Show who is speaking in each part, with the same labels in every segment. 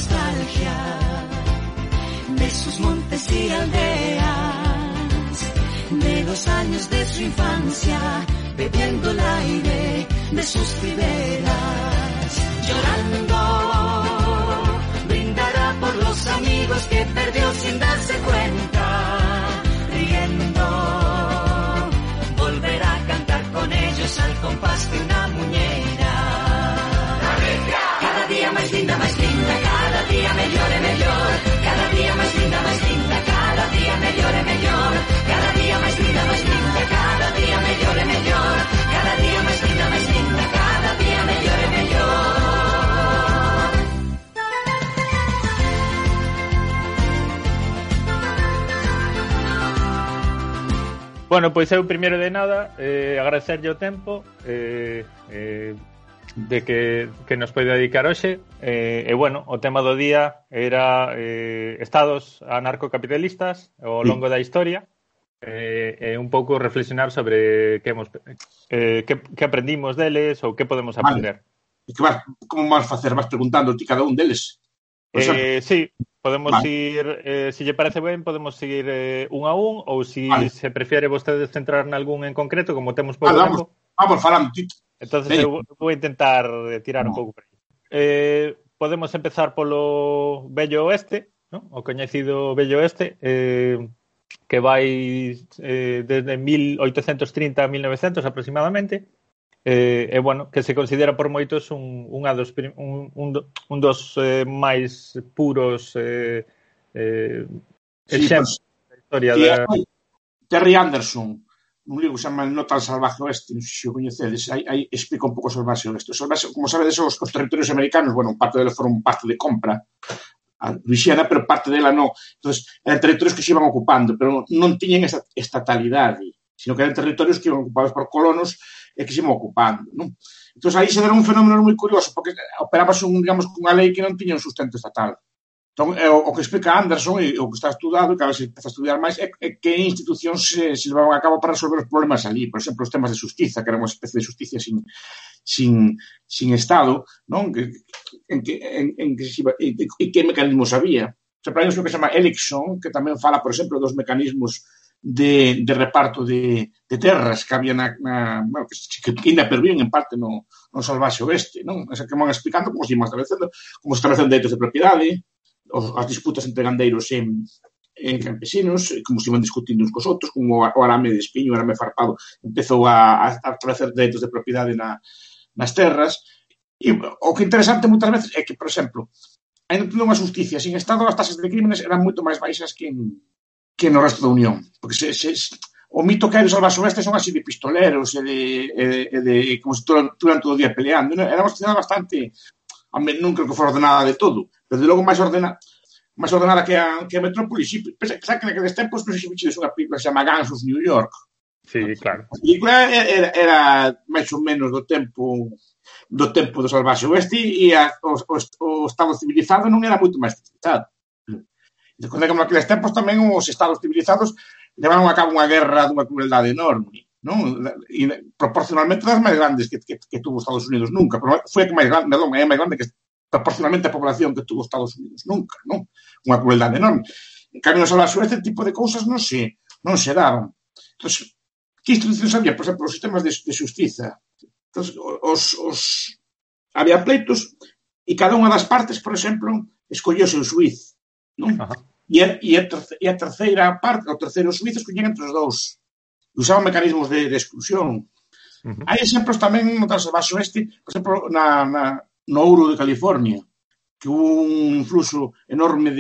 Speaker 1: nostalgia de sus montes y aldeas, de los años de su infancia, bebiendo el aire de sus riberas. Llorando, brindará por los amigos que perdió sin darse cuenta. Riendo, volverá a cantar con ellos al compás de una muñeira. Cada día más linda, cada día mejor e mellor. Cada día más linda, cada día mejor e mellor. Cada día más linda, cada día mejor e mellor. Cada día más linda, cada día mejor e mellor.
Speaker 2: Bueno, pois eu primeiro de nada agradecerlle o tempo de que nos pode dedicar hoxe e bueno, o tema do día era estados anarcocapitalistas ao longo da historia e un pouco reflexionar sobre que aprendimos deles ou que podemos aprender.
Speaker 3: E que como vas facer? Vas preguntando ti cada un deles?
Speaker 2: Sí, podemos ir, se lle parece ben, podemos seguir un a un, ou se prefiere vostedes centrar en algún en concreto, como temos pouco tempo.
Speaker 3: Vamos falando, Tito.
Speaker 2: Entonces eu vou intentar tirar un pouco por aí. Podemos empezar polo Vello Oeste, ¿no? O coñecido Vello Oeste, que vai desde 1830 a 1900 aproximadamente. E bueno, que se considera por moitos un dos máis puros exemplos da historia da...
Speaker 3: Terry Anderson, un libro que se chama Nota al salvaje oeste, non sei se o coñecedes, aí explica un pouco o salvaje oeste. Como sabedes, os territorios americanos, bueno, parte deles foron parte de compra a Luisiana, pero parte dela non. Entonces, eran territorios que se iban ocupando, pero non tiñen esa estatalidade, sino que eran territorios que iban ocupados por colonos e que se iban ocupando, non? Entón, aí se deron un fenómeno moi curioso, porque operábase, digamos, cunha lei que non tiña un sustento estatal. Entón, o que explica Anderson e o que está estudado, que a veces empeza a estudiar máis, é que institucións se levaban a cabo para resolver os problemas ali. Por exemplo, os temas de justiza, que era unha especie de justicia sin Estado, non? En que mecanismos había. Hai un que se chama Elixson, que tamén fala, por exemplo, dos mecanismos de reparto de terras que había bueno, que ainda perviven en parte no salvaxe oeste, non? Esa que van explicando como se establecendo dereitos de propiedade, as disputas entre gandeiros e campesinos, como se iban discutindo uns cos outros, como o arame de espiño, o arame farpado, empezou a establecer dereitos de propiedade nas terras. E o que é interesante moitas veces é que, por exemplo, ainda tendo unha justicia sin Estado, as tasas de crímenes eran moito máis baixas que no resto da Unión, porque o mito que hai do salvaxe oeste son así de pistoleros e de como se estuveran todo o día peleando. Era unha sociedade bastante, non creo que fora ordenada de todo, pero de logo máis ordenada que a metrópoli. Pensá que naqueles tempos non sei se viches unha película que se chama Gangs of New York.
Speaker 2: Sí, claro.
Speaker 3: A película era máis ou menos do tempo do salvaxe oeste e o Estado civilizado non era moito máis civilizado. Cando naqueles tempos tamén os estados civilizados levaron a cabo unha guerra dunha crueldade enorme, non? E proporcionalmente das máis grandes que tuvo Estados Unidos nunca, pero foi a que máis grande, é máis grande que proporcionalmente a población que tuvo Estados Unidos nunca, non? Unha crueldade enorme. En cambio, no salvaxe este tipo de cousas non se daban. Entón, que institucións había? Por exemplo, os sistemas de xustiza. Entón, había pleitos e cada unha das partes, por exemplo, escolleu o seu xuiz, non? E a terceira parte, o terceiro xuiz, escollían entre os dous. Usaban mecanismos de exclusión. Hai exemplos tamén no salvaxe oeste, por exemplo, no ouro de California, que hubo un influxo enorme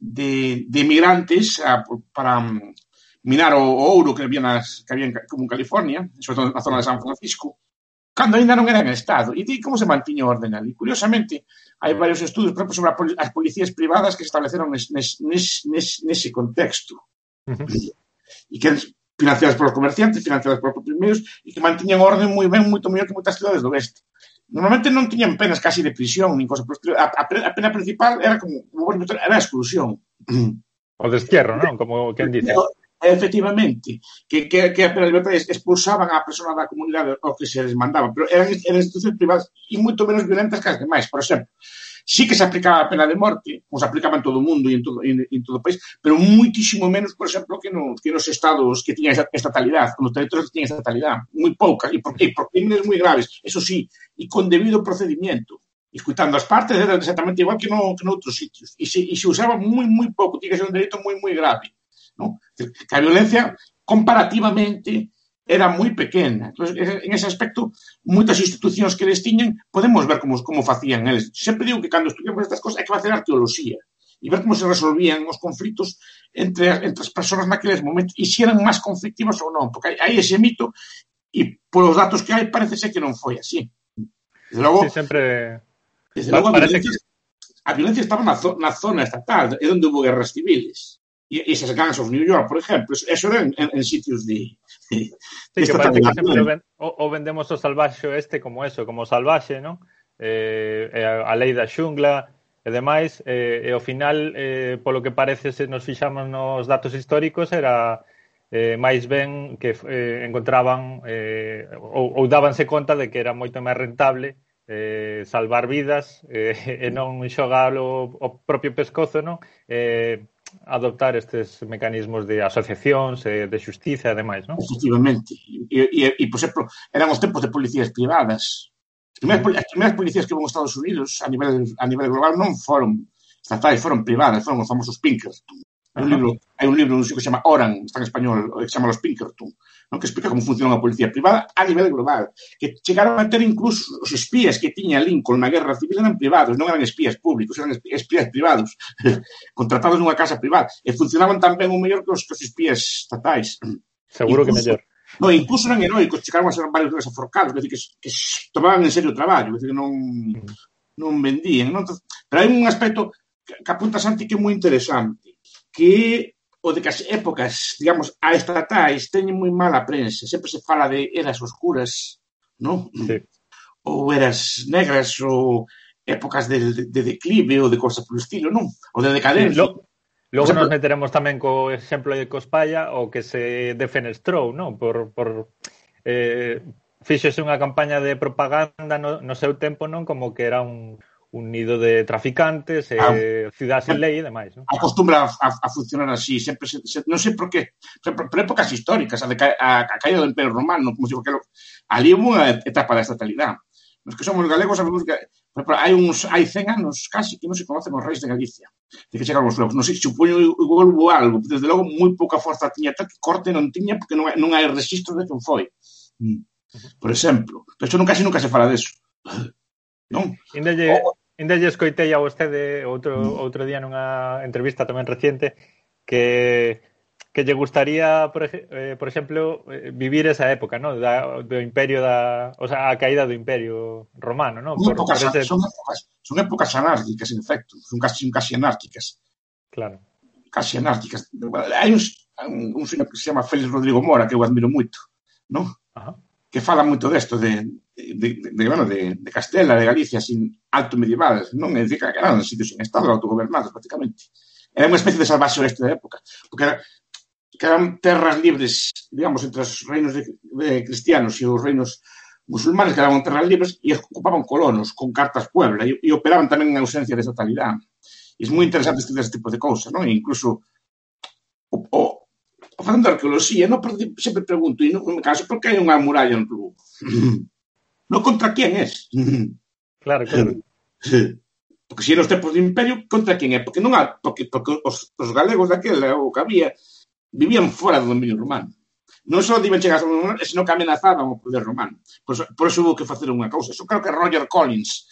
Speaker 3: de migrantes para minar o ouro que había como en California, sobre todo na zona de San Francisco, cando ainda non era en Estado. E como se mantiña o orden ali? Curiosamente, hai varios estudos, por exemplo, sobre as policías privadas que se estableceron nese contexto. E que financiadas polos comerciantes, financiadas polos primeiros, e que mantiñan o orden moi ben, moito mellor que moitas cidades do oeste. Normalmente non tiñan penas casi de prisión, nin cosa. A pena principal era a exclusión.
Speaker 2: O destierro, non? Como quen dice.
Speaker 3: Efectivamente, que a pena de libertad expulsaban a persona da comunidade o que se les mandaba, pero eran institucións privadas e moito menos violentas que as demais. Por exemplo, sí que se aplicaba a pena de morte, como se aplicaba en todo o mundo e en todo o país, pero muitísimo menos, por exemplo, que nos estados que tiñan estatalidade, nos territorios que tiñan estatalidade, moi poucas, e por crímenes moi graves, eso sí, e con debido procedimiento. Escutando as partes era exactamente igual que noutros sitios. E se usaba moi pouco, tiña que ser un delito moi grave. ¿No? Que a violencia, comparativamente, era moi pequena. Entonces, en ese aspecto, moitas institucións que eles tiñan, podemos ver como facían eles. Sempre digo que cando estudiamos estas cosas hai que facer arqueoloxía e ver como se resolvían os conflitos entre as persoas naqueles momentos e se eran máis conflictivas ou non, porque hai ese mito e polos datos que hai parece ser que non foi así. Desde logo,
Speaker 2: sí, sempre...
Speaker 3: Desde logo, a violencia estaba na zona estatal, é onde hubo guerras civiles. E esas gangs of New York, por exemplo, eso era en sitios de
Speaker 2: sí, que parece que sempre o vendemos o salvaxe este como eso, como salvaxe, non? A lei da xungla e demais, e ao final, polo que parece, se nos fixamos nos datos históricos, era máis ben que encontraban ou dábanse conta de que era moito máis rentable salvar vidas e non xogar o propio pescozo, non? Adoptar estes mecanismos de asociacións, de xustiza e demais, non?
Speaker 3: Efectivamente. E, por exemplo, eran os tempos de policías privadas. As primeiras policías que hubo en Estados Unidos a nivel global non foron estatais, foron privadas, foron os famosos Pinkerton. Hai un libro que se chama Oran, está en español, que se chama Los Pinkerton, que explica como funciona a policía privada a nivel global, que chegaron a ter incluso os espías que tiña Lincoln na guerra civil eran privados, non eran espías públicos, eran espías privados, contratados nunha casa privada, e funcionaban tan ben ou mellor que os espías estatais.
Speaker 2: Seguro que mellor.
Speaker 3: No, incluso eran heroicos, chegaron a ser varios deles aforcados, que tomaban en serio o traballo, que non vendían. Pero hai un aspecto que apunta Santi que é moi interesante, que o de que as épocas, digamos, a estatais teñen moi mala prensa. Sempre se fala de eras oscuras, non?
Speaker 2: Sí.
Speaker 3: Ou eras negras, ou épocas de declive, ou de cosas polo estilo, non? Ou de decadencia.
Speaker 2: Sí, logo nos meteremos tamén co exemplo de Cospalla, o que se defenestrou, non? Fíxose unha campaña de propaganda no seu tempo, non? Como que era un nido de traficantes, cidade sen lei e demais, non?
Speaker 3: Acostumbra a funcionar así, sempre non sei por qué, por épocas históricas, a caída do Imperio Romano, como se digo, ali hubo unha etapa da estatalidade. Nos que somos galegos sabemos que hai 100 anos casi que non se conocen os reis de Galicia, de que chegaron os lobos. Non sei, supoño igual hubo algo, desde logo moi pouca forza tiña, tal que corte non tiña porque non hai registro de quen foi. Por exemplo, pero isto casi nunca se fala deso. Non?
Speaker 2: Ainda lle escoitei a vostede outro día nunha entrevista tamén reciente que lle gustaría, por exemplo, vivir esa época, ¿no? Do imperio o sea, a caída do imperio romano, ¿no?
Speaker 3: Son épocas anárquicas, en efecto, son casi anárquicas.
Speaker 2: Claro.
Speaker 3: Casi anárquicas. Hai un señor que se chama Félix Rodrigo Mora, que eu admiro moito, ¿no?
Speaker 2: Ajá.
Speaker 3: Que fala moito desto de Castela, de Galicia, sin alto medieval, non? É dicir, que eran sitios sin estado, autogobernados, prácticamente. Era unha especie de salvaxe oeste da época, porque eran terras libres, digamos, entre os reinos de cristianos e os reinos musulmanes, que eran terras libres, e ocupaban colonos con cartas Puebla, e operaban tamén en ausencia de estatalidade. E é moi interesante estudar este tipo de cousas, non? E incluso facendo arqueoloxía, non sempre pregunto, e non me canso, por que hai unha muralla no Lugo? Non contra quen es?
Speaker 2: Claro.
Speaker 3: Porque se nos tempos de imperio, contra quen é? Porque os galegos daquela, o que había, vivían fora do dominio romano. Non só iban chegar ao dominio romano, senón que amenazaban o poder romano. Por eso hubo que facer unha cousa. Eso creo que Roger Collins,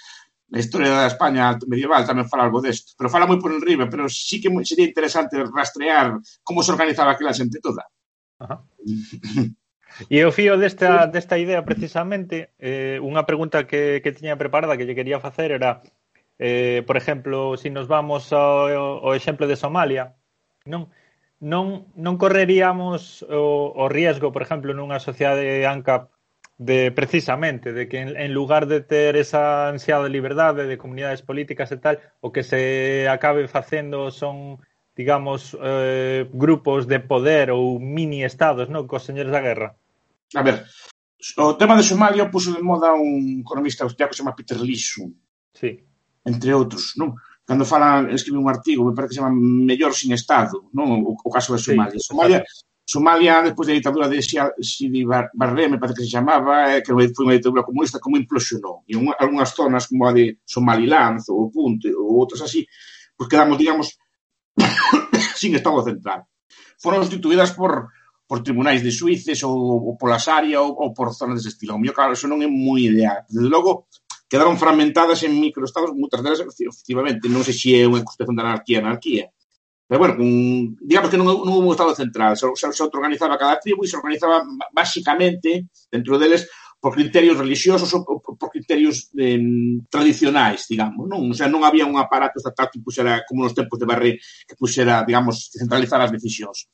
Speaker 3: na historia da España medieval, tamén fala algo desto. Pero fala moi por enriba, pero sí que sería interesante rastrear como se organizaba aquela xente toda.
Speaker 2: Ajá. E o fío desta idea, precisamente, unha pregunta que tiña preparada que lle quería facer era, por exemplo, se nos vamos ao exemplo de Somalia, non correríamos o riesgo, por exemplo, nunha sociedade ANCAP precisamente, de que en lugar de ter esa ansiada liberdade de comunidades políticas e tal, o que se acabe facendo son, digamos, grupos de poder ou mini-estados, non? Cos señores da guerra.
Speaker 3: A ver, o tema de Somalia puso de moda un economista austriaco que se chama Peter Lissum.
Speaker 2: Sí.
Speaker 3: entre outros, non? Cando escribe un artigo, me parece que se chama Mellor sin Estado, non? O caso de Somalia.
Speaker 2: Sí,
Speaker 3: Somalia, despois da ditadura de Sidi Barre, me parece que se chamaba, que foi unha ditadura comunista, como implosionou. E algunhas zonas, como a de Somaliland, ou Punte, ou outras así, pues quedamos, digamos, sin Estado central. Foron constituídas por tribunais de xuíces ou pola Sharia ou por zonas dese estilo. O mío, claro, eso non é moi ideal. Desde logo, quedaron fragmentadas en microestados, moitas delas, efectivamente, non sei se é unha constitución de anarquía. Pero, bueno, digamos que non houve un Estado central. Se autoorganizaba cada tribu e se organizaba basicamente, dentro deles, por criterios religiosos ou por criterios tradicionais, digamos, non? O sea, non había un aparato estatal que puxera, como nos tempos de Barré, que puxera, digamos, que centralizara as decisións.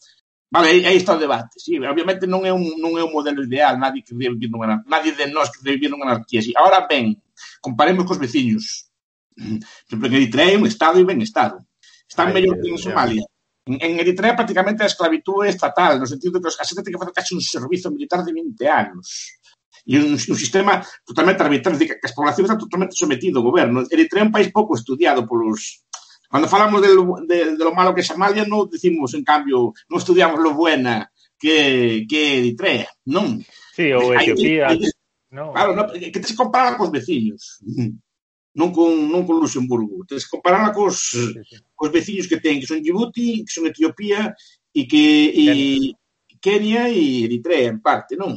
Speaker 3: Vale, aí está o debate. Sí, obviamente non é un modelo ideal, nadie de nós que debe vivir nunha anarquía. Sí. Ahora ben, comparemos cos veciños. Por exemplo, en Eritrea é un Estado e ben Estado. Están mellor que en Somalia. En Eritrea prácticamente a esclavitud é estatal, no sentido de que a xente ten que facer casi un servizo militar de 20 anos. E un sistema totalmente arbitrario, que as poblacións están totalmente sometidas ao goberno. Eritrea é un país pouco estudiado polos... Cando falamos de lo malo que é Somalia, non decimos, en cambio, non estudiamos lo buena que Eritrea, non?
Speaker 2: Sí, ou Etiopía.
Speaker 3: Claro, que tens que compararla cos veciños, non con Luxemburgo. Tens que compararla cos veciños que ten, que son Djibouti, que son Etiopía, e que... Kenia e Eritrea, en parte, non?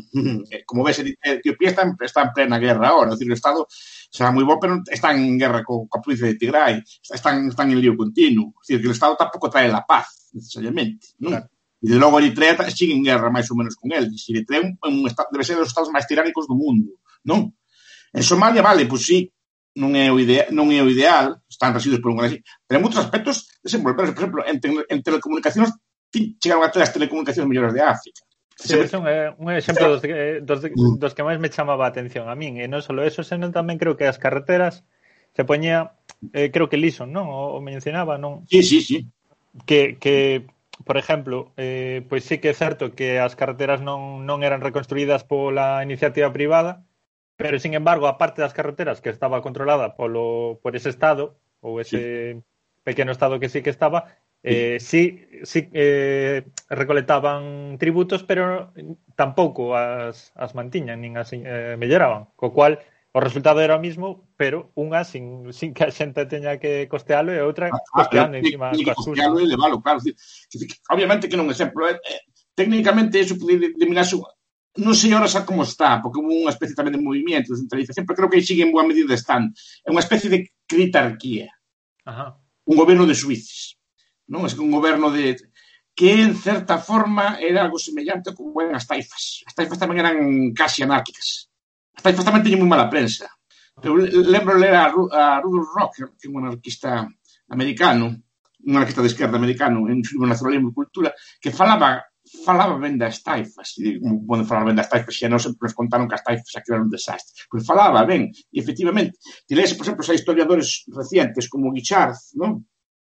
Speaker 3: Como ves, Etiopía está en plena guerra ahora, é dicir, o Estado será moi bo, pero está en guerra coa provincia de Tigray, están en lío continuo, é dicir, que o Estado tampouco trae la paz, necesariamente, non? Claro. E de logo Eritrea sigue en guerra máis ou menos con el, e Eritrea debe ser dos estados máis tiránicos do mundo, non? En Somalia, vale, pois sí, non é o ideal, están residuos por un así, pero en moitos aspectos desenvolverse, por exemplo, en telecomunicacións chegaron a ter as telecomunicacións mellores de África.
Speaker 2: Sí, é un exemplo dos que máis me chamaba a atención a min, e non só eso, senón tamén creo que as carreteras se poñía, creo que Lison, non? O mencionaba, non?
Speaker 3: Sí.
Speaker 2: Que por exemplo, pois sí que é certo que as carreteras non eran reconstruídas pola iniciativa privada, pero, sin embargo, a parte das carreteras que estaba controlada por ese Estado, ou ese pequeno Estado que sí que estaba, sí recolectaban tributos, pero tampouco as mantiñan, nin as melloraban, co cual o resultado era o mismo, pero unha sin que a xente teña que costealo e outra costeando encima
Speaker 3: coas custas. Costealo e levalo, claro. Obviamente que non é exemplo. Técnicamente, eso pode eliminarse. Non sei ahora xa como está, porque hubo unha especie tamén de movimiento de centralización, pero creo que aí sigue en boa medida están. É unha especie de critarquía. Un goberno de suíces. Non? É un goberno que, en certa forma, era algo semellante como eran as taifas. As taifas tamén eran casi anárquicas. As taifas tamén teñen moi mala prensa. Eu lembro ler a Rudolf Rocker, que é un anarquista americano, un anarquista de esquerda americano, en su nacionalismo e cultura, que falaba ben das taifas. E como poden falar ben das taifas, xa non sempre nos contaron que as taifas aquí eran un desastre. Pois falaba ben, e efectivamente, ti lees, por exemplo, hai historiadores recientes como Guichard, non?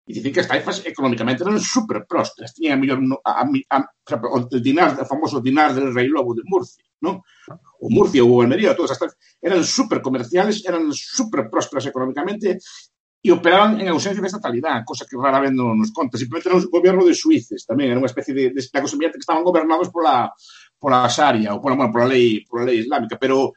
Speaker 3: E dicen que as taifas económicamente eran super prósperas, tiñan a mellor o famoso dinar del Rei Lobo de Murcia, non? O Murcia ou Almería, todas as taifas eran super comerciales, eran super prósperas económicamente e operaban en ausencia de estatalidade, cosa que rara vez non nos conta. Simplemente era un goberno de suíces tamén, era unha especie de Estado semellante que estaban gobernados pola Sharia ou pola lei islámica, pero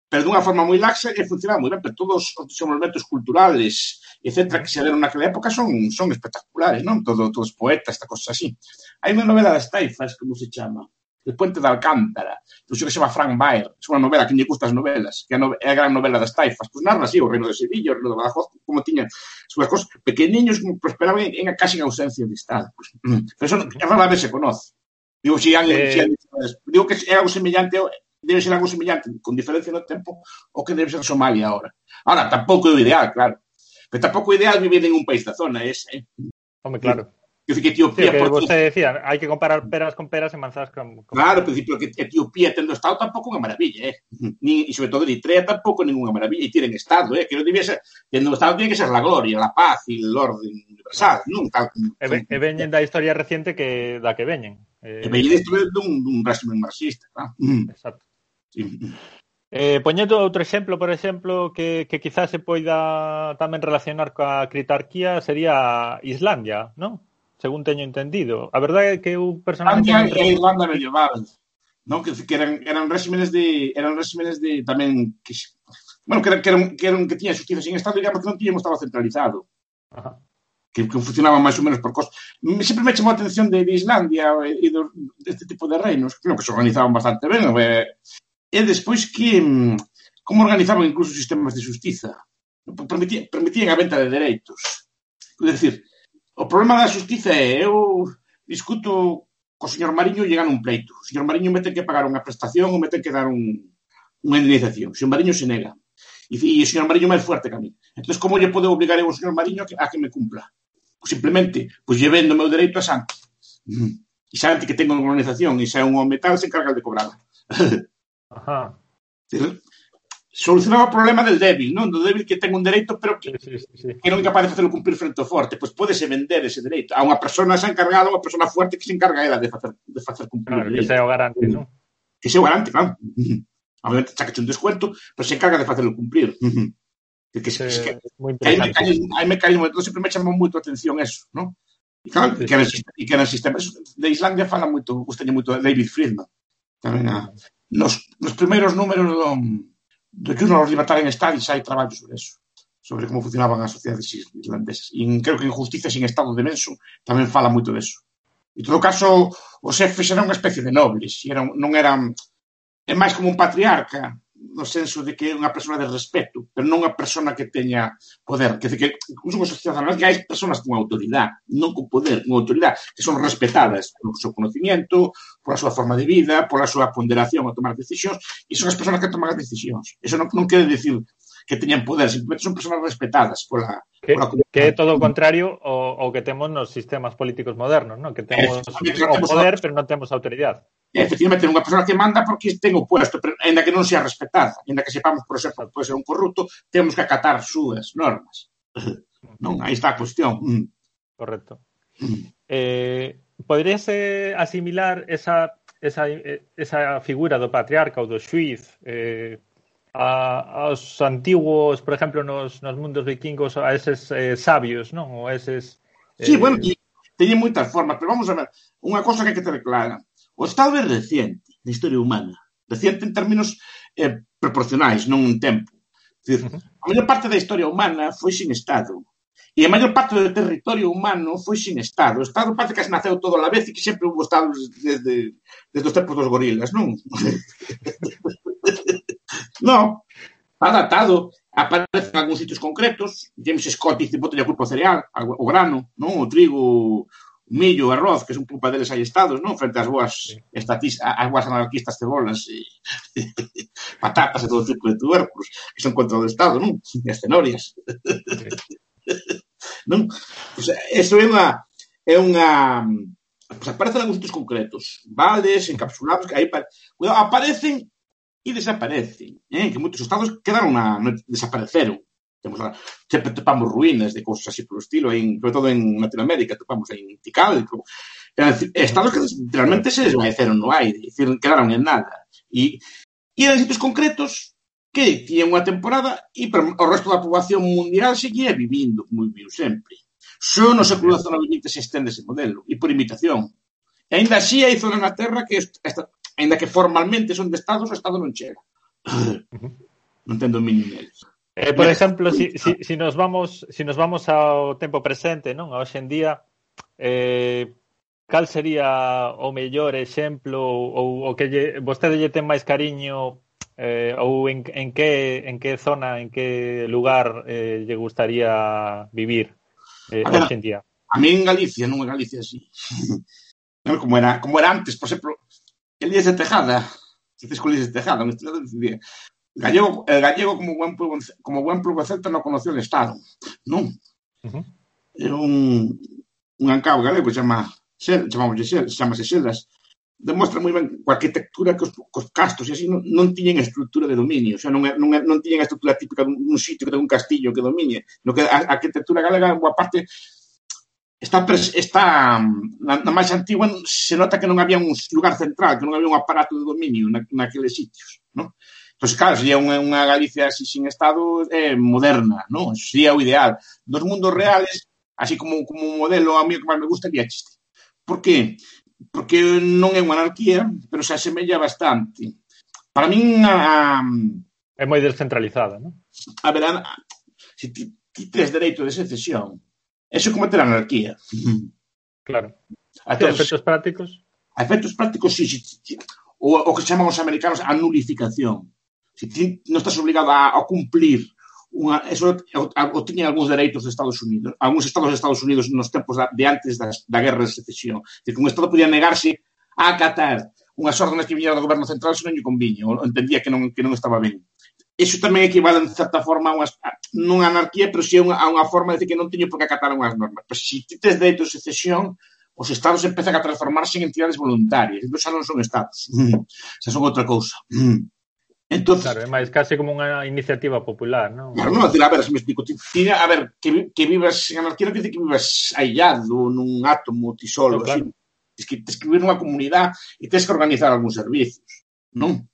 Speaker 3: dunha forma moi laxa e funcionaba moi ben, pero todos os desenvolvementos culturales, etcétera, que se deron naquela época son espectaculares, non? Todos poetas, esta cosa así. Hai unha novela das taifas, como se chama? El puente de Alcántara, que se chama Frank Baer, é unha novela que lle gusta as novelas, que é a gran novela das taifas, pois narra así o reino de Sevilla, o reino de Badajoz, como tiñan súas cosas pequeniños, como prosperaban casi en ausencia de Estado. Pero eso rara vez se conoce. Digo que é algo semellante, debe ser algo semellante, con diferencia no tempo, o que debe ser Somalia ahora. Ahora, tampouco é o ideal, claro. Pero tampouco é ideal vivir en un país da zona,
Speaker 2: Home, claro.
Speaker 3: Que Etiopía...
Speaker 2: Sí, que você decía, hai que comparar peras con peras e manzadas con...
Speaker 3: Claro, pero que Etiopía tendo Estado tampouco é unha maravilla, E sobre todo Eritrea tampouco é ninguna maravilla, e tienen Estado, que non debía ser... Tendo Estado tiene que ser la gloria, la paz e el orden universal, non?
Speaker 2: E veñen da historia reciente da que veñen.
Speaker 3: E veñen da historia dun régimen marxista, claro.
Speaker 2: Exacto.
Speaker 3: Sí.
Speaker 2: Poñendo outro exemplo, por exemplo, que quizás se poida tamén relacionar coa critarquía sería Islandia, non? Según teño entendido. A verdade é que eu personalmente
Speaker 3: Islandia
Speaker 2: non
Speaker 3: e a Irlanda medieval, non? Que eran réximenes de tamén bueno, que tiñan xustiza sin Estado, digamos que non tiñan un Estado centralizado.
Speaker 2: Ajá.
Speaker 3: Que funcionaban máis ou menos por cosas. Sempre me chamou a atención de Islandia e deste tipo de reinos, que se organizaban bastante ben, e despois que como organizaban incluso sistemas de xustiza. Permitían a venta de dereitos. É dicir, o problema da xustiza é eu discuto co señor Mariño e llegan un pleito. O señor Mariño me ten que pagar unha prestación ou me ten que dar unha indemnización. O señor Mariño se nega. E o señor Mariño é máis fuerte que a mí. Entón, como lle podo obligar eu ao señor Mariño a que me cumpla? Pues simplemente, pois lle vendo o meu dereito a Santi. E Santi que ten unha organización e xa é un home tal, se encarga de cobrarla.
Speaker 2: Ajá.
Speaker 3: Solucionaba o problema del débil, non? Do débil que ten un dereito pero que non é capaz de facelo cumprir frente ao forte. Pois pódese vender ese dereito a unha persona xa encargada, unha persona fuerte que se encarga ela de facer cumprir
Speaker 2: o dereito. Que sea o garante, non?
Speaker 3: Que sea o garante, claro. Obviamente sacache un descuento, pero se encarga de facelo cumplir. Hai mecanismos, entón sempre me chamou moito a atención eso, non? E claro, que eran sistemas de Islandia fala moito, gustaña moito de David Friedman. Tamén nos primeiros números do Journal of Libertarian Studies hai traballos sobre eso, sobre como funcionaban as sociedades islandesas. E creo que en Justicia sin Estado de Menso tamén fala moito deso. En todo caso, os xefes eran unha especie de nobles, non eran... É máis como un patriarca, no senso de que é unha persona de respeto, pero non unha persona que teña poder. Quer dizer, que incluso nas sociedades que hai personas con autoridade, non con poder, con autoridade, que son respetadas polo seu conocimiento, pola súa forma de vida, pola súa ponderación a tomar decisións, e son as personas que toman as decisións. Eso non quere decir que teñan poder, simplemente son personas respetadas pola
Speaker 2: que é todo o contrario ao que temos nos sistemas políticos modernos, non? Que temos o poder, pero non temos autoridade.
Speaker 3: Efectivamente, unha persona que manda porque ten o puesto, pero ainda que non sea respetada, ainda que sepamos, por exemplo, pode ser un corrupto, temos que acatar súas normas. Non, aí está a cuestión.
Speaker 2: Correcto. Poderíase asimilar esa figura do patriarca ou do xuiz aos antiguos, por exemplo, nos mundos vikingos, a eses sabios, non? Ou eses...
Speaker 3: Sí, bueno, teñen moitas formas, pero vamos a ver, unha cosa que hai que ter clara. O Estado é reciente na historia humana. Reciente en términos proporcionais, non en tempo. Decir, a maior parte da historia humana foi sin Estado. E a maior parte do territorio humano foi sin Estado. O Estado parece que se naceu todo a la vez e que sempre hubo Estados desde os tempos dos gorilas, non? Non. Está datado. Aparecen en algúns sitios concretos. James Scott dice, bote a culpa ao cereal, o grano, non? O trigo... millo, arroz, que son culpa deles hai estados, non? Frente ás boas as boas anarquistas cebolas e patatas e todo tipo de tubérculos que son contra o estado, non? E as cenorias. Non? Pues eso é unha pues aparecen algúns sitios concretos, vales, encapsulados, que aí aparecen e desaparecen, que moitos estados quedaron desapareceron. Sempre topamos ruínas de cousas así polo estilo, sobre todo en Latinoamérica, topamos en Tikal, estados que realmente se desvaneceron no aire, quedaron en nada. E eran sitios concretos que tiñan unha temporada e o resto da poboación mundial seguía vivindo como viviu sempre. Só no século XIX se estende ese modelo, e por imitación. E ainda así hai zonas na Terra que, ainda que formalmente son de estados, o estado non chega. Non ten dominio neles.
Speaker 2: Por exemplo, si nos vamos ao tempo presente, non? A hoxe en día, cal sería o mellor exemplo ou o que vostede lle ten máis cariño ou en que zona, en que lugar lle gustaría vivir hoxe en día?
Speaker 3: A mí en Galicia, non en Galicia así. Como era antes, por exemplo, Elías de Tejada, se tes con Elías de Tejada, un historiador decidía el gallego como buen plugo celta non conoceu o Estado, non? É un ancao galego chamase Seldas, demostra moi ben coa arquitectura que os castros e así non tiñen estrutura de dominio, o sea, non tiñen a estrutura típica dun sitio que ten un castillo que domine, no que a arquitectura galega, boa parte, está na máis antigua, se nota que non había un lugar central, que non había un aparato de dominio naqueles sitios, non? Entón, claro, sería unha Galicia así sin Estado moderna, non? Eso sería o ideal. Dos mundos reales, así como un modelo, a mí o que máis me gusta é chiste. Por qué? Porque non é unha anarquía, pero se asemella bastante. Para min,
Speaker 2: é moi descentralizada, non?
Speaker 3: A ver, se ti tes dereito de secesión, eso é como ter anarquía.
Speaker 2: Claro. A efectos prácticos?
Speaker 3: A efectos prácticos, sí. O que chaman os americanos a nulificación. Se ti non estás obligado a cumplir eso o tiñan algúns dereitos de Estados Unidos. Algúns estados de Estados Unidos nos tempos de antes da guerra de secesión. Que un estado podía negarse a acatar unhas órdenes que viñeran do goberno central se non lle conviña, ou entendía que non estaba ben. Eso tamén equivale, en certa forma, non a anarquía, pero sí a unha forma de decir que non teño por que acatar unhas normas. Pero se ti tes dereitos de secesión, os estados empezan a transformarse en entidades voluntarias. Entón xa non son estados. Xa son outra cousa. Entonces,
Speaker 2: claro, é máis case como unha iniciativa popular, non?
Speaker 3: Claro, non, a ver, se me explico. A ver, que vivas en anarquía non quer dizer que vivas aillado nun átomo, ti solo, así. Claro. Tens que vivir nunha comunidade e tens que organizar algúns servicios, non?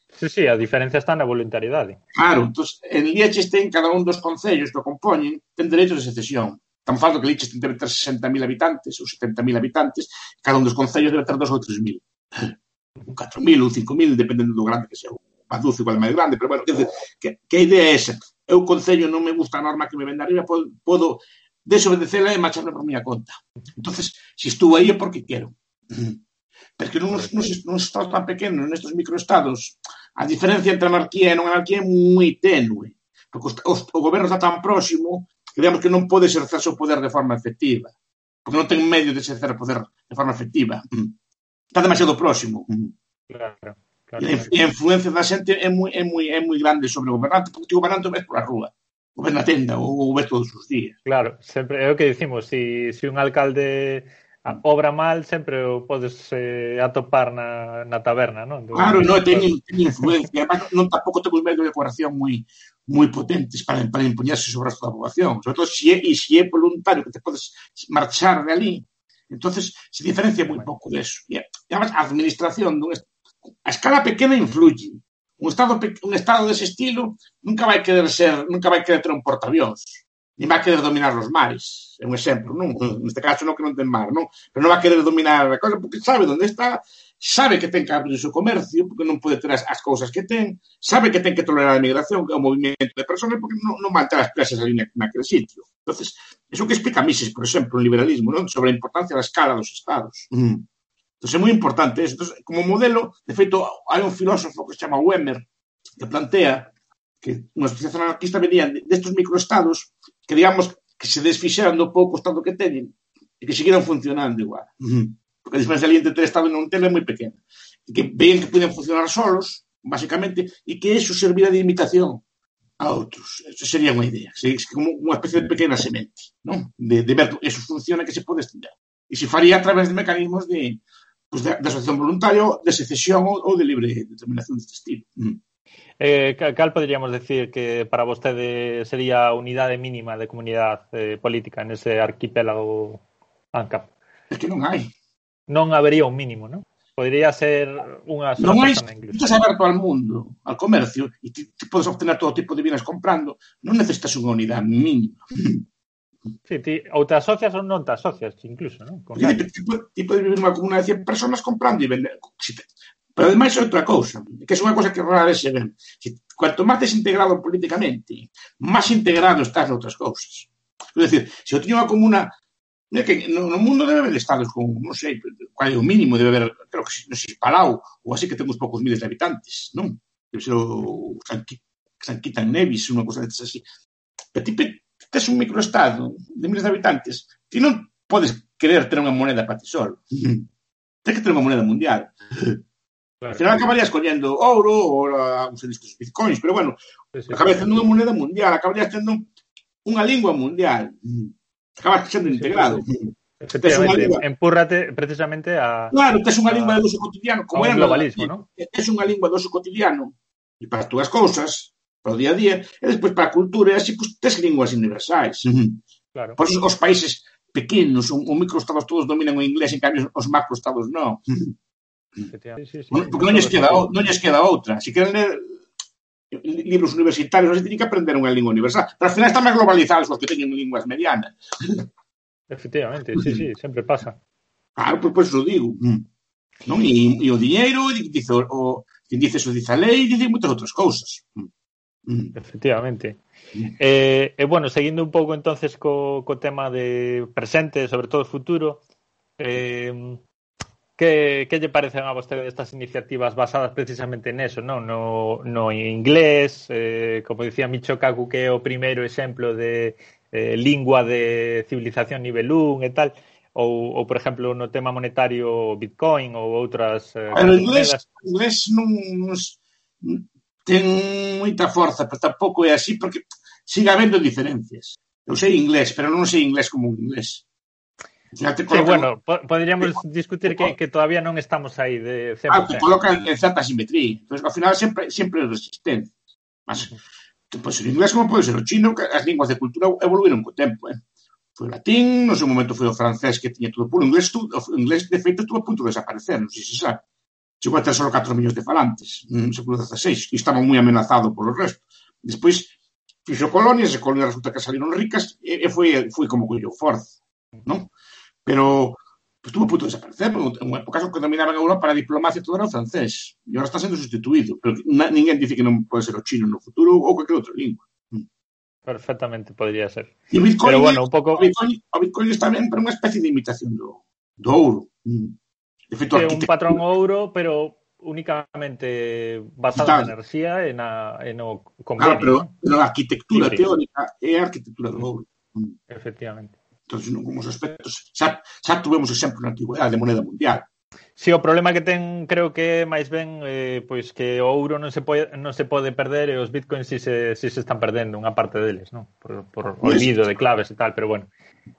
Speaker 2: Sí, a diferencia está na voluntariedade.
Speaker 3: Claro, entón, en Liechtenstein ten cada un dos concellos que o compoñen, ten dereito de secesión. Tan falta que Liechtenstein debe ter 60.000 habitantes ou 70.000 habitantes, cada un dos concellos debe ter 2 ou 3.000. 4.000 ou 5.000, dependendo do grande que sea o Baduz, igual é máis grande, pero bueno, quer dizer, que a idea é esa. Eu, concello, non me gusta a norma que me ven de arriba, podo desobedecela e marcharme por miña conta. Entonces, se estou aí é porque quero. Porque nos estados tan pequenos, nestes microestados, a diferencia entre anarquía e non anarquía é moi tenue. Porque o goberno está tan próximo que digamos que non pode exercer o poder de forma efectiva. Porque non ten medio de exercer o poder de forma efectiva. Está demasiado próximo.
Speaker 2: Claro.
Speaker 3: E a influencia da xente é moi grande sobre o gobernante, porque o gobernante o ves pola rúa, o ves na tenda, ou o ves todos os días.
Speaker 2: Claro, sempre é o que dicimos, se un alcalde obra mal, sempre o podes atopar na taberna, non?
Speaker 3: Claro, non, ten influencia. Además, non tampouco temos medios de coerción moi potentes para impoñarse sobre o resto da poboación. Sobre todo, se é voluntario que te podes marchar de ali, entonces se diferencia moi pouco deso. E además, a administración a escala pequena influye. Un estado dese estilo nunca vai querer ter un portaavións, ni vai querer dominar os mares. É un exemplo, non? Neste caso non que non ten mar, non? Pero non vai querer dominar a cosa porque sabe onde está, sabe que ten que abrir o seu comercio, porque non pode ter as cousas que ten, sabe que ten que tolerar a migración, que é o movimento de personas, porque non van ter as presas ali naquele sitio. Entonces, eso que explica Mises, por exemplo, o liberalismo, non? Sobre a importancia da escala dos estados. Entón, é moi importante eso. Entón, como modelo, de feito, hai un filósofo que se chama Wemer, que plantea que unha asociación anarquista venía destes microestados que, digamos, que se desfixeran do pouco estado que teñen e que seguiran funcionando igual. Porque a diferencia ali entre ter estado e non ter é moi pequena. E que veían que podían funcionar solos, basicamente, e que eso servira de imitación a outros. Eso sería unha idea. Como unha especie de pequena semente, non? De ver que eso funciona, que se pode estudar. E se faría a través de mecanismos de asociación voluntaria, de secesión ou de libre determinación deste estilo.
Speaker 2: Cal poderíamos decir que para vostede sería a unidade mínima de comunidade política nese arquipélago ANCAP?
Speaker 3: É que non hai.
Speaker 2: Non habería un mínimo, non? Podría ser unha sola persona incluso.
Speaker 3: Non hai, estás aberto al mundo, al comercio, e ti podes obtener todo tipo de bienes comprando, non necesitas unha unidade mínima.
Speaker 2: Sí, ou te asocias ou non te asocias, incluso, non?
Speaker 3: Ti podes vivir nunha comunidade de 100 personas comprando e vender. Pero ademais é outra cousa, que é unha cousa que rara vez se ven. Cuanto máis desintegrado políticamente, máis integrado estás noutras cousas. É dicir, se eu teño unha comuna, que no mundo debe haber estados con, non sei, qual é o mínimo, debe haber, creo que non sei, Palau, ou así que ten uns poucos miles de habitantes, non? Debe ser o San Quitan Nevis, unha cousa desas así. Pero ti tes un microestado de miles de habitantes, ti non podes querer ter unha moneda para ti solo. Tens que ter unha moneda mundial. Claro. Al final acabarías collendo ouro ou uns discos bitcoins, pero bueno, acabarías tendo unha moneda mundial, acabarías tendo unha lingua mundial. Acabas sendo integrado.
Speaker 2: Efectivamente, empúrrate precisamente a...
Speaker 3: Claro, tes unha lingua de uso cotidiano, como
Speaker 2: era globalismo, non?
Speaker 3: Tes unha lingua de uso cotidiano e para as túas cousas, para o día a día, e despois para a cultura, e así, pues, tes linguas universais. Claro. Por eso os países pequenos, os microestados todos dominan o inglés, en cambio os macroestados non.
Speaker 2: Sí,
Speaker 3: porque non lles queda outra. Se queren ler libros universitarios, así tienen que aprender unha lingua universal. Pero ao final están máis globalizados os que teñen linguas medianas.
Speaker 2: Efectivamente, sí, sempre pasa.
Speaker 3: Claro, pois o digo. Non? E o diñeiro, dice quen dice eso dice a lei, dice moitas outras cousas.
Speaker 2: Efectivamente. Bueno, seguindo un pouco entonces co tema de presente, sobre todo futuro, que lle parecen a vostede estas iniciativas basadas precisamente neso, non? No inglés, como dicía Michio Kaku, que é o primeiro exemplo de lingua de civilización nivel 1 e tal, ou por exemplo, no tema monetario Bitcoin ou outras
Speaker 3: monedas. O inglés non ten moita forza, pero tampouco é así, porque sigue habendo diferencias. Eu sei inglés, pero non sei inglés como un inglés.
Speaker 2: Sí, bueno, poderíamos discutir que todavía non estamos aí de 100%.
Speaker 3: Te colocan en certa simetría. Entón, ao final, sempre resistente. Mas, pois, o inglés como pode ser o chino, que as linguas de cultura evoluíron co tempo, Foi o latín, no seu momento foi o francés que tiña todo puro. O inglés, de feito, estuvo a punto de desaparecer, non sei se sabe. Chegou a ter só 4 millóns de falantes no século XVI, e estaba moi amenazado polo resto. Despois, fixo colonias, e colonias resulta que salieron ricas, e foi como colleu forza, non? Pero estuvo a punto de desaparecer, en unha época que dominaban a Europa para a diplomacia todo era o francés, e agora está sendo sustituído, pero ninguén dice que non pode ser o chino no futuro ou cualquier outra lingua.
Speaker 2: Perfectamente podría ser.
Speaker 3: E o Bitcoin,
Speaker 2: pero bueno, un pouco...
Speaker 3: o Bitcoin está ben para unha especie de imitación do ouro.
Speaker 2: De feito, é un patrón ouro, pero únicamente basado na enerxía e no convenio.
Speaker 3: Pero a arquitectura teórica é a arquitectura do ouro.
Speaker 2: Efectivamente.
Speaker 3: Entón, como os aspectos, xa tuvemos exemplo na antigüedade de moneda mundial.
Speaker 2: Si, o problema que ten, creo que máis ben pois que o ouro non se pode perder e os bitcoins si se están perdendo unha parte deles, non? Por olvido de claves e tal, pero bueno,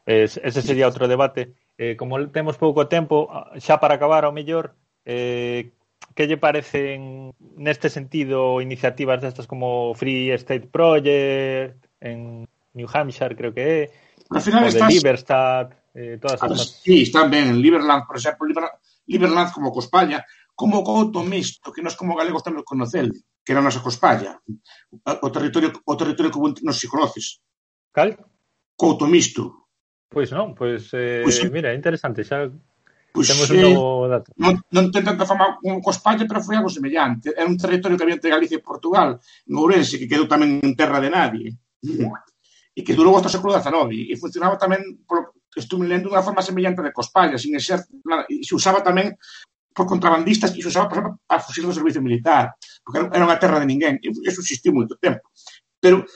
Speaker 2: ese sería outro debate. Como temos pouco tempo, xa para acabar ao mellor, que lle parecen neste sentido iniciativas destas como Free State Project en New Hampshire, creo que é,
Speaker 3: o de
Speaker 2: Liberstad, todas estas...
Speaker 3: Sí, están ben, en Liberland, por exemplo, Liberland como Cospalla, como o Couto Misto, que nós como galegos temos que conocer, que era a nosa Cospalla, o territorio que non se conoces.
Speaker 2: Cal?
Speaker 3: Couto Misto.
Speaker 2: Pois non, mira, interesante, xa temos un novo dato.
Speaker 3: Non ten tanta fama como Cospalla, pero foi algo semellante. Era un territorio que había entre Galicia e Portugal, en Ourense, que quedou tamén en terra de nadie. E que durou hasta o século XIX. E funcionaba tamén, estuve lendo, unha forma semellante de Cospalla, sin ser, e se usaba tamén por contrabandistas, e se usaba, por exemplo, para fusil do servicio militar, porque era unha terra de ninguén. E eso existiu moito tempo. Pero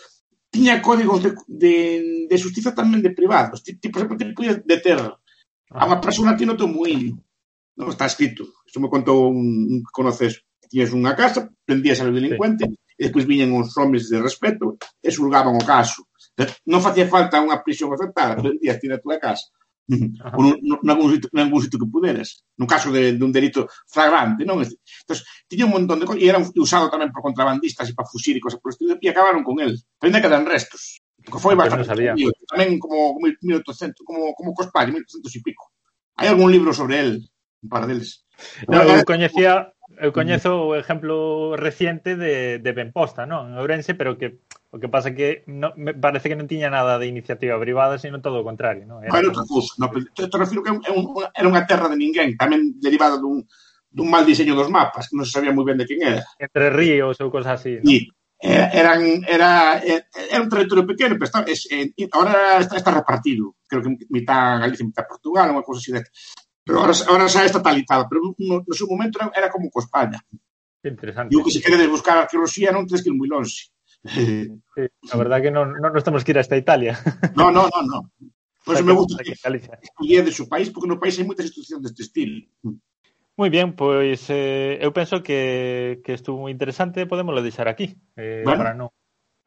Speaker 3: tiña códigos de justiza tamén de privados. Por exemplo, te podías deter a unha persona ti no teu muíño. Non está escrito. Isto me contou un que conoces. Tiñas unha casa, prendías ao delincuente, e despois viñan uns homes de respeto e xulgaban o caso. Non facía falta unha prisión aceptada, prendías ti na tua casa. Ou nalgún sitio que puderas. No caso de un delito flagrante, non? Entón, tiña un montón de cosas, e era usado tamén por contrabandistas e para fuxir e cosas por estilo, e acabaron con el. Pero ainda quedan restos. Que foi bastante tamén como 1800, como Cospalla, 1800 e pico. Hai algún libro sobre el, un par deles.
Speaker 2: Eu coñezo o exemplo reciente de Benposta, non? En Ourense, pero que o que pasa que me parece que non tiña nada de iniciativa privada, sino todo o contrario, non?
Speaker 3: Te refiro que era unha terra de ninguén, tamén derivada dun mal diseño dos mapas, que non se sabía moi ben de quen era.
Speaker 2: Entre ríos ou cosas así, non?
Speaker 3: Era un territorio pequeno, pero ahora está repartido. Creo que mitad Galicia, mitad Portugal, unha cousa así de... Pero ahora xa é estatalizado, pero no seu momento era como Cospalla.
Speaker 2: Interesante.
Speaker 3: Digo que se queredes buscar arqueoloxía non tedes que ir moi longe.
Speaker 2: Sí, a verdad que non nos temos que ir hasta Italia.
Speaker 3: No. Por eso me gusta que escolledes o país, porque no país hai moitas institucións deste estilo.
Speaker 2: Moi bien, pois eu penso que estuvo moi interesante, podémoslo deixar aquí, para non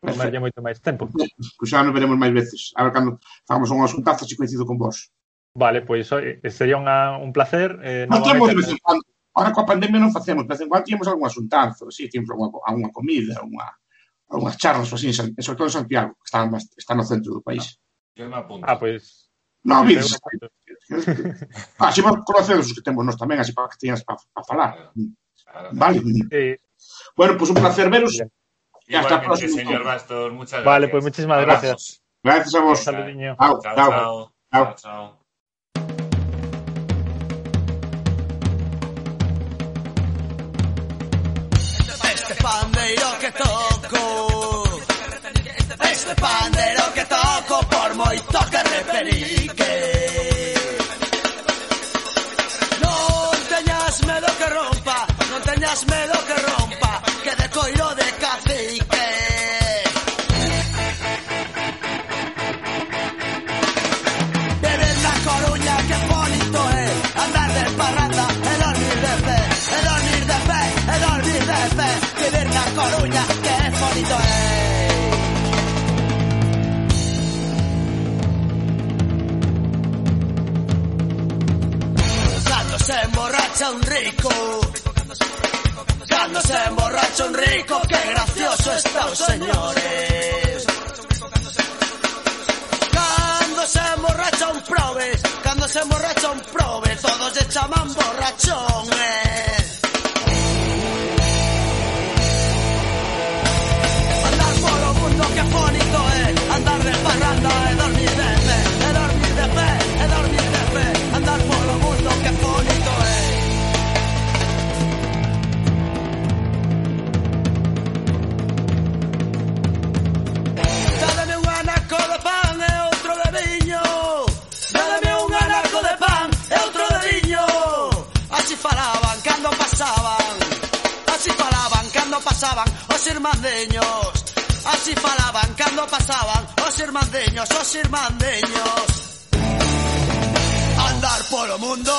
Speaker 2: tomarlle moito máis tempo.
Speaker 3: Pois xa nos veremos máis veces. A ver, cando fagamos un asuntazo, se coincido con vos.
Speaker 2: Vale, pois sería un placer.
Speaker 3: Temos de vez en cuando. Ahora coa pandemia non facemos, de vez en cuando tínhamos algún asuntazo, sí, tínhamos alguna comida, algunhas charlas, así, sobre todo en Santiago, que está no centro do país.
Speaker 2: Pois...
Speaker 3: Non, vides. Así vos conocedos os que temos nós tamén, así para que teñas para falar. Vale.
Speaker 2: Sí.
Speaker 3: Bueno, pois un placer veros. Y hasta el
Speaker 4: Igualmente,
Speaker 3: próximo.
Speaker 4: señor Bastos, muchas gracias.
Speaker 2: Vale, pues muchísimas gracias.
Speaker 3: Gracias a vos.
Speaker 2: Un saludiño.
Speaker 3: Chao,
Speaker 4: Chao,
Speaker 3: chao.
Speaker 4: chao.
Speaker 3: Chao.
Speaker 4: Chao, chao.
Speaker 5: Este pandeiro que toco, este pandeiro que toco, por moito que repelique. Non teñas medo que rompa, non teñas medo que rompa, que de coiro de cacique. Viver na Coruña, que bonito é, andar de parranda e dormir de pé, e dormir de pé, e dormir de pé. Vivir na Coruña, que bonito é. Cando se emborracha un rico, cando se emborracha un rico, que gracioso está os señores. Cando se emborracha un probes, cando se emborracha un probes, todos se chaman borrachón, Andar polo mundo, que bonito é, andar de parranda e dormir de pé, e dormir de pé, e dormir de pé. Andar polo mundo, que bonito é. Dádeme un anaco de pan e outro de viño, dádeme un anaco de pan e outro de viño. Así falaban cando pasaban, así falaban cando pasaban os irmandeños, así falaban cando pasaban os irmandeños, os irmandeños. Andar polo mundo,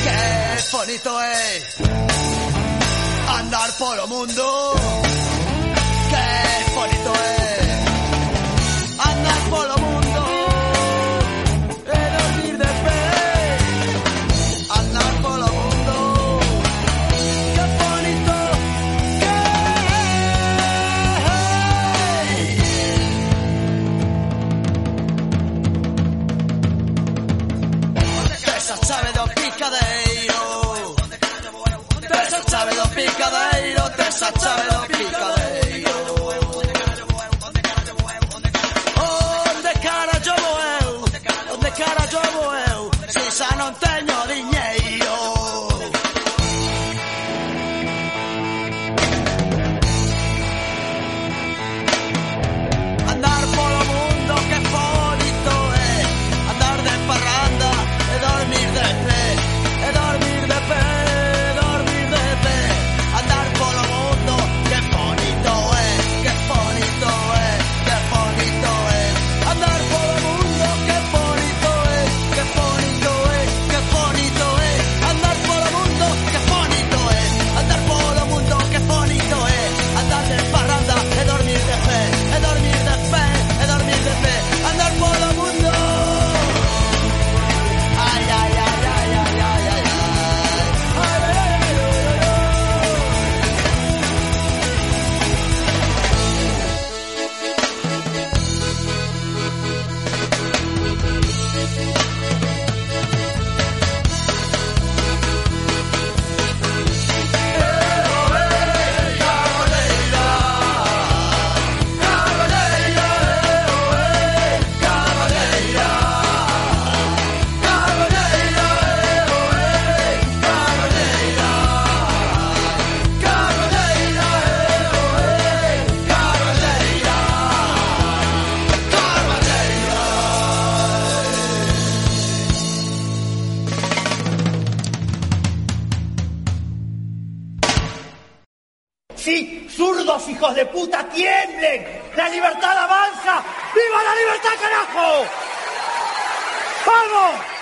Speaker 5: que bonito é. Andar polo mundo, que bonito é. Andar polo mundo e dormir de pé. Andar polo mundo, que bonito que é. Esa chave do picadeiro, esa chave do picadeiro, esa chave do picadeiro. Onde cara yo vou eu, onde cara yo vou eu, se xa non teño diñeiro. Andar polo mundo, que bonito é, andar de parranda e dormir de pé, e dormir de pé, e dormir de pé. Andar polo mundo, que bonito é, que bonito é, que bonito é. Andar polo mundo, que bonito é, que bonito é, que bonito é. Andar polo mundo, que bonito é, andar polo mundo, que bonito é. Andar de parranda e dormir de pé, e dormir de pé, e dormir de pé. Andar polo mundo. Ay, ay, ay, ay, ay, ay, ay, ay. Ay, ay, ay, ay, ay, ay.
Speaker 6: Sí, zurdos hijos de puta, tiemblen. La libertad avanza. ¡Viva la libertad, carajo! ¡Vamos!